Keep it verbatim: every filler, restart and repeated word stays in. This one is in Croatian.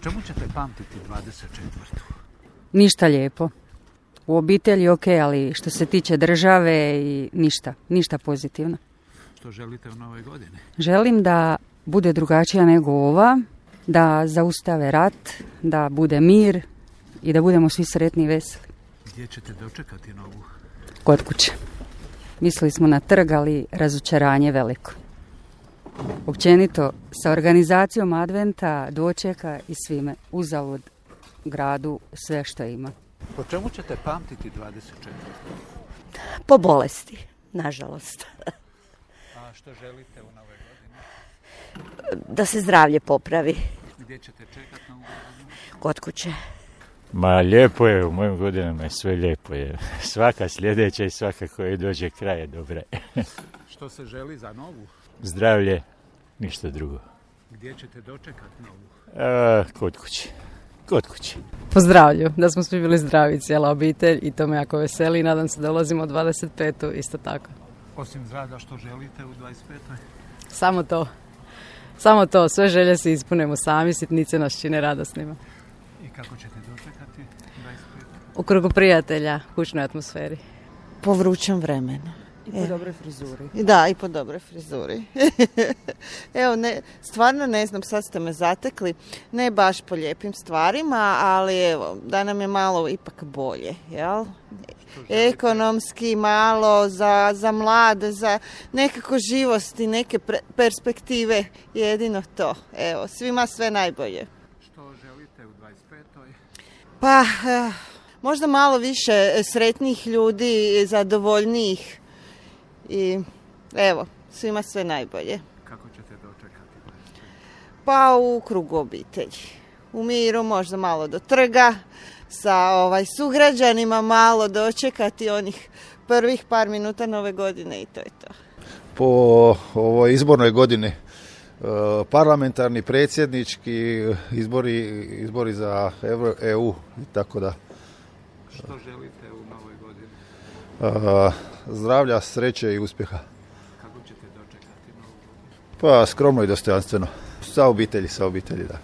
čemu ćete pamtiti dvadeset četvrtu? Ništa lijepo. U obitelji ok, ali što se tiče države i ništa, ništa pozitivno. Što želite u novoj godini? Želim da bude drugačija nego ova, da zaustave rat, da bude mir i da budemo svi sretni i veseli. Gdje ćete dočekati novu? Kod kuće. Mislili smo na trg, ali razočaranje veliko. Općenito, sa organizacijom adventa, dočeka i svime, uzalud gradu sve što ima. Po čemu ćete pamtiti dvadeset četvrtu? Po bolesti, nažalost. A što želite u nove godine? Da se zdravlje popravi. Gdje ćete čekati novu godinu? Kod kuće. Ma lijepo je, u mojim godinama je sve lijepo je. Svaka sljedeća i svaka koja dođe kraj je dobra. Što se želi za novu? Zdravlje, ništa drugo. Gdje ćete dočekati novu? A, kod kuće. Kod kuće. Po zdravlju, da smo svi bili zdravi, cijela obitelj i to me jako veseli i nadam se da ulazimo u dvadeset petu isto tako. Osim zdravlja, što želite u dvadeset petoj? Samo to. Samo to, sve želje se ispunemo sami, sitnice nas čine radosnima. I kako ćete dočekati dvadeset petu? U krugu prijatelja, kućnoj atmosferi. Po vrućem vremenu. I po dobroj frizuri. Da, i po dobroj frizuri. Evo, ne, stvarno ne znam, sad ste me zatekli, ne baš po lijepim stvarima, ali evo, da nam je malo ipak bolje, jel? Ekonomski malo, za, za mlade, za nekako živosti, neke pre, perspektive, jedino to. Evo, svima sve najbolje. Što želite u dvadeset petoj? Pa, eh, možda malo više sretnih ljudi, zadovoljnijih. I evo, svima sve najbolje. Kako ćete dočekati dvadeset petu? Pa u krugu obitelji. U miru, možda malo do trga, sa ovaj sugrađanima malo dočekati onih prvih par minuta nove godine i to je to. Po ovoj izbornoj godini parlamentarni, predsjednički, izbori, izbori za E U i tako da. Što želite u novoj godini? A, zdravlja, sreće i uspjeha. Kako ćete dočekati novu godinu? Pa skromno i dostojanstveno. Sa obitelji, sa obitelji, da.